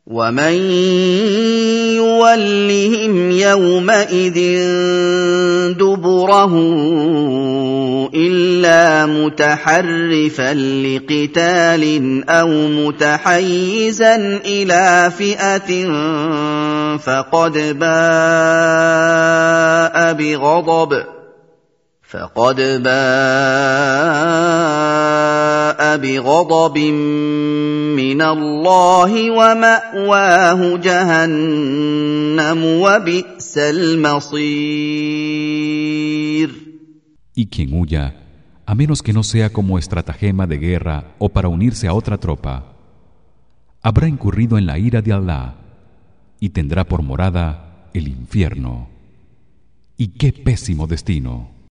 ومن يولهم يومئذ دبره إلا متحرفا لقتال أو متحيزا إلى فئة فقد باء بغضب من الله ومأواه جهنم وبئس المصير. Y quien huya, a menos que no sea como estratagema de guerra o para unirse a otra tropa, habrá incurrido en la ira de Allah y tendrá por morada el infierno. Y qué pésimo destino.